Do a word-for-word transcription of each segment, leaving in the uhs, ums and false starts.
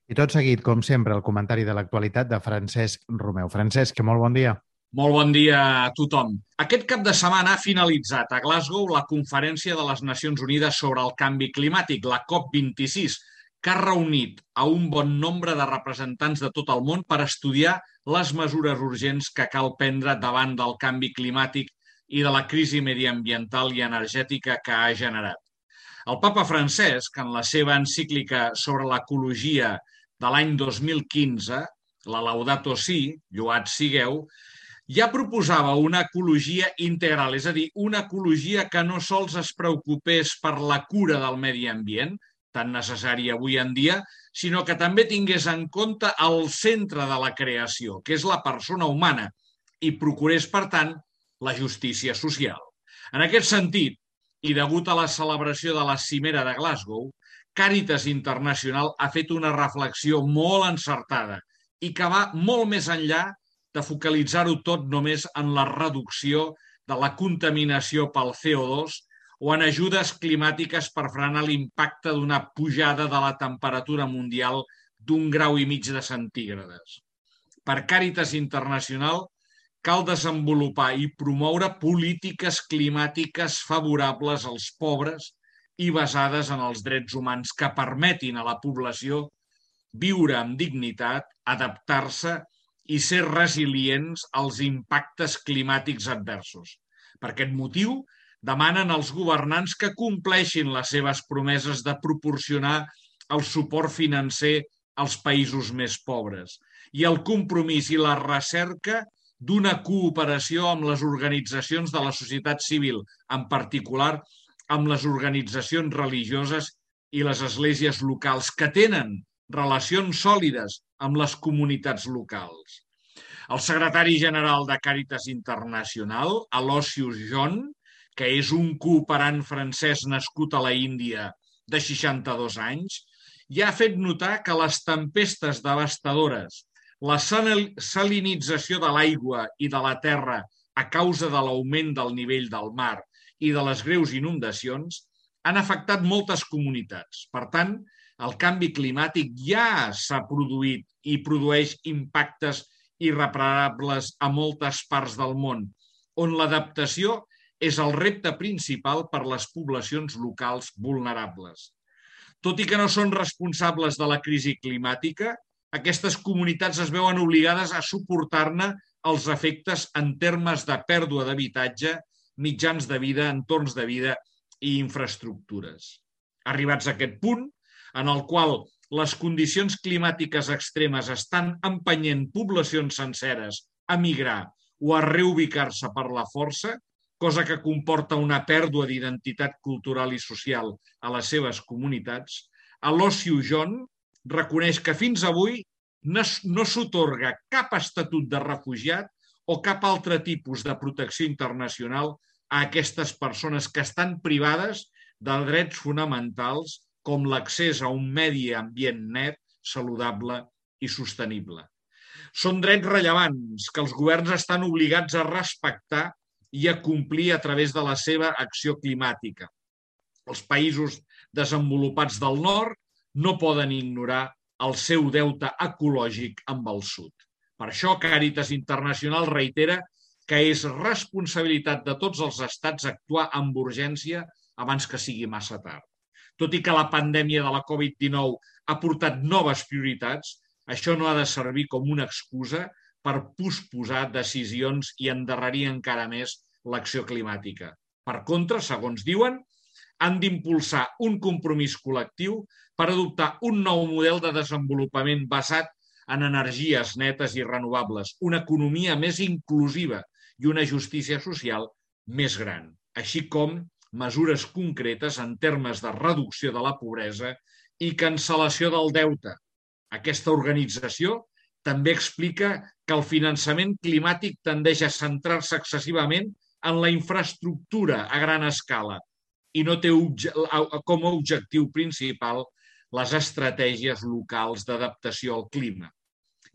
I tot seguit, com sempre, el comentari de l'actualitat de Francesc Romeu. Francesc, molt bon dia. Molt bon dia a tothom. Aquest cap de setmana ha finalitzat a Glasgow la Conferència de les Nacions Unides sobre el Canvi Climàtic, la COP vint-i-sis, que ha reunit a un bon nombre de representants de tot el món per estudiar les mesures urgents que cal prendre davant del canvi climàtic i de la crisi mediambiental i energètica que ha generat. El papa Francesc, en la seva encíclica sobre l'ecologia de l'any dos mil quinze, la Laudato Si, lloat sigueu, ja proposava una ecologia integral, és a dir, una ecologia que no sols es preocupés per la cura del medi ambient, tan necessària avui en dia, sinó que també tingués en compte el centre de la creació, que és la persona humana, i procurés, per tant, la justícia social. En aquest sentit, i degut a la celebració de la Cimera de Glasgow, Càritas Internacional ha fet una reflexió molt encertada i que va molt més enllà de focalitzar-ho tot només en la reducció de la contaminació pel C O dos o en ajudes climàtiques per frenar l'impacte d'una pujada de la temperatura mundial d'un grau i mig de centígrades. Per Càritas Internacional cal desenvolupar i promoure polítiques climàtiques favorables als pobres i basades en els drets humans que permetin a la població viure amb dignitat, adaptar-se i ser resilients als impactes climàtics adversos. Per aquest motiu, demanen als governants que compleixin les seves promeses de proporcionar el suport financer als països més pobres i el compromís i la recerca d'una cooperació amb les organitzacions de la societat civil, en particular amb les organitzacions religioses i les esglésies locals que tenen relacions sòlides amb les comunitats locals. El secretari general de Càritas Internacional, Aloysius John, que és un cooperant francès nascut a la Índia de seixanta-dos anys, ja ha fet notar que les tempestes devastadores, la salinització de l'aigua i de la terra a causa de l'augment del nivell del mar i de les greus inundacions han afectat moltes comunitats. Per tant, el canvi climàtic ja s'ha produït i produeix impactes irreparables a moltes parts del món, on l'adaptació és el repte principal per les poblacions locals vulnerables. Tot i que no són responsables de la crisi climàtica, aquestes comunitats es veuen obligades a suportar-ne els efectes en termes de pèrdua d'habitatge, mitjans de vida, entorns de vida i infraestructures. Arribats a aquest punt, en el qual les condicions climàtiques extremes estan empenyent poblacions senceres a migrar o a reubicar-se per la força, cosa que comporta una pèrdua d'identitat cultural i social a les seves comunitats, Aloysius John reconeix que fins avui no s'atorga cap estatut de refugiat o cap altre tipus de protecció internacional a aquestes persones que estan privades de drets fonamentals com l'accés a un medi ambient net, saludable i sostenible. Són drets rellevants que els governs estan obligats a respectar i a complir a través de la seva acció climàtica. Els països desenvolupats del nord no poden ignorar el seu deute ecològic amb el sud. Per això, Càritas Internacional reitera que és responsabilitat de tots els estats actuar amb urgència abans que sigui massa tard. Tot i que la pandèmia de la Covid dinou ha portat noves prioritats, això no ha de servir com una excusa per posposar decisions i endarrerir encara més l'acció climàtica. Per contra, segons diuen, han d'impulsar un compromís col·lectiu per adoptar un nou model de desenvolupament basat en energies netes i renovables, una economia més inclusiva i una justícia social més gran, així com mesures concretes en termes de reducció de la pobresa i cancel·lació del deute. Aquesta organització també explica que el finançament climàtic tendeix a centrar-se excessivament en la infraestructura a gran escala i no té com a objectiu principal les estratègies locals d'adaptació al clima.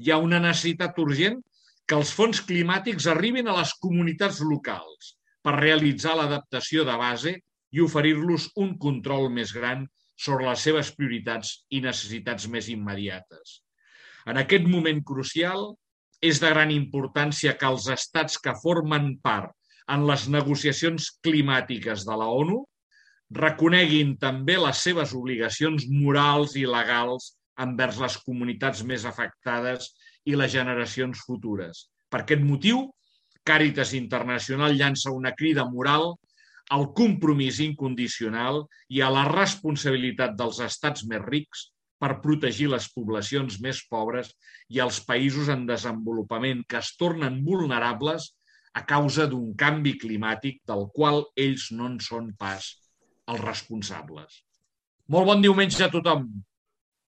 Hi ha una necessitat urgent que els fons climàtics arribin a les comunitats locals per realitzar l'adaptació de base i oferir-los un control més gran sobre les seves prioritats i necessitats més immediates. En aquest moment crucial, és de gran importància que els estats que formen part en les negociacions climàtiques de la ONU reconeguin també les seves obligacions morals i legals envers les comunitats més afectades i les generacions futures. Per aquest motiu, Càritas Internacional llança una crida moral al compromís incondicional i a la responsabilitat dels estats més rics per protegir les poblacions més pobres i els països en desenvolupament que es tornen vulnerables a causa d'un canvi climàtic del qual ells no en són pas els responsables. Molt bon diumenge a tothom!